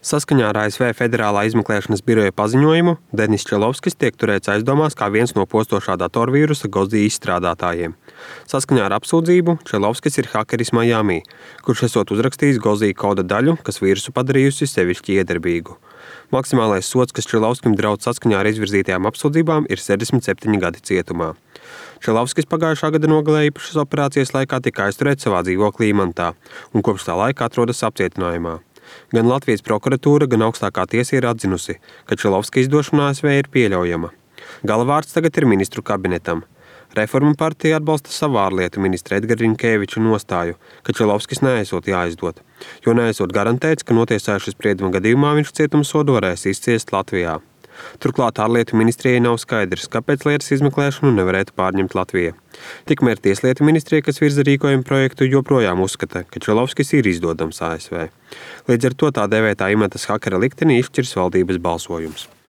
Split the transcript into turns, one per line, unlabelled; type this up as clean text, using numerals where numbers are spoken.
Saskaņā ar ASV Federālā izmeklēšanas biroja paziņojumu Denis Čelovskis tiek turēts aizdomās kā viens no postošā datorvīrusa Gozi izstrādātājiem. Saskaņā ar apsūdzību Čelovskis ir hakeris Miami, kurš esot uzrakstījis Gozi koda daļu, kas vīrusu padarījusi sevišķi iedarbīgu. Maksimālais sods, kas Čelovskim draudz saskaņā ar izvirzītajām apsūdzībām, ir 67 gadi cietumā. Čelovskis pagājušā gada nogalē īpašas operācijas laikā tika aizturēts savā dzīvoklī Imantā un kopš tā laika atrodas apcietinājumā. Gan Latvijas prokuratūra, gan augstākā tiesa ir atzinusi, ka Čelovska izdošana ASV ir pieļaujama. Galvārds tagad ir ministru kabinetam. Reformu partija atbalsta savu ārlietu ministra Edgara Rinkēviča nostāju, ka Čelovskis neesot jāizdod, jo neesot garantēts, ka notiesājušas sprieduma gadījumā viņš cietumsodu varēs izciest Latvijā. Turklāt ārlietu ministrijai nav skaidrs, kāpēc lietas izmeklēšanu nevarētu pārņemt Latvija. Tikmēr tieslietu ministrija, kas virza rīkojumu projektu, joprojām uzskata, ka Čelovskis ir izdodams ASV. Līdz ar to tā dēvētā Imantas hakera likteni izšķirs valdības balsojums.